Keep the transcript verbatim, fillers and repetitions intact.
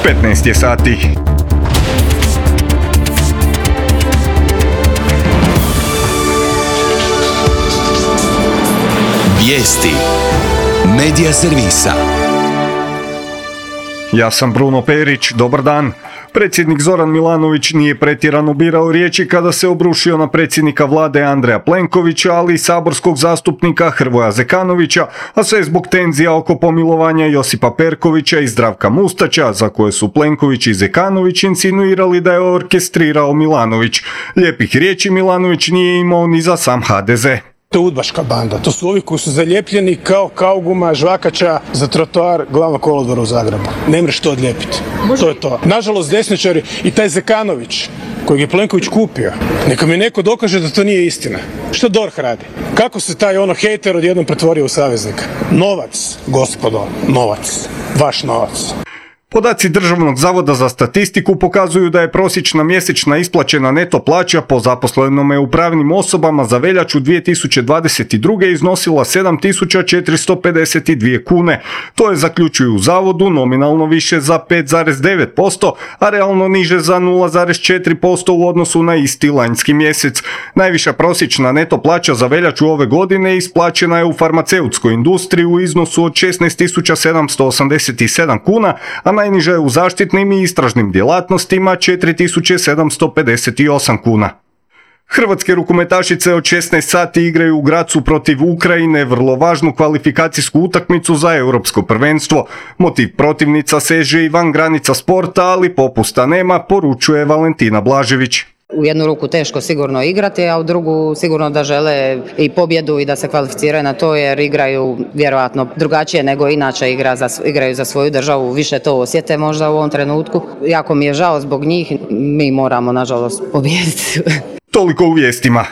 petnaest je sati. Vijesti Medija servisa. Ja sam Bruno Perić, dobar dan. Predsjednik Zoran Milanović nije pretjerano birao riječi kada se obrušio na predsjednika vlade Andreja Plenkovića, ali i saborskog zastupnika Hrvoja Zekanovića, a sve zbog tenzija oko pomilovanja Josipa Perkovića i Zdravka Mustača, za koje su Plenković i Zekanović insinuirali da je orkestrirao Milanović. Lijepih riječi Milanović nije imao ni za sam ha de ze. To je udbaška banda, to su ovi koji su zalijepljeni kao kauguma žvakača za trotoar glavnog kolodvora u Zagrebu. Ne mreš to odlijepiti. To je to. Nažalost, desničari i taj Zekanović, kojeg je Plenković kupio, neka mi neko dokaže da to nije istina. Što D O R H radi? Kako se taj ono hejter odjednom pretvorio u saveznika? Novac, gospodo, novac. Vaš novac. Podaci Državnog zavoda za statistiku pokazuju da je prosječna mjesečna isplaćena neto plaća po zaposlenome u pravnim osobama za veljaču dvije tisuće dvadeset druge iznosila sedam tisuća četiristo pedeset dvije kune. To je, zaključuju u zavodu, nominalno više za pet zarez devet posto, a realno niže za nula zarez četiri posto u odnosu na isti lanjski mjesec. Najviša prosječna neto plaća za veljaču ove godine isplaćena je u farmaceutskoj industriji u iznosu od šesnaest tisuća sedamsto osamdeset sedam kuna, a najniža je u zaštitnim i istražnim djelatnostima četiri tisuće sedamsto pedeset osam kuna. Hrvatske rukometašice od šesnaest sati igraju u Grazu protiv Ukrajine vrlo važnu kvalifikacijsku utakmicu za europsko prvenstvo. Motiv protivnica seže i van granica sporta, ali popusta nema, poručuje Valentina Blažević. U jednu ruku teško sigurno igrati, a u drugu sigurno da žele i pobjedu i da se kvalificiraju na to, jer igraju vjerojatno drugačije nego inače igra za, igraju za svoju državu, više to osjete možda u ovom trenutku. Jako mi je žao zbog njih, mi moramo nažalost pobijediti. Toliko u vijestima.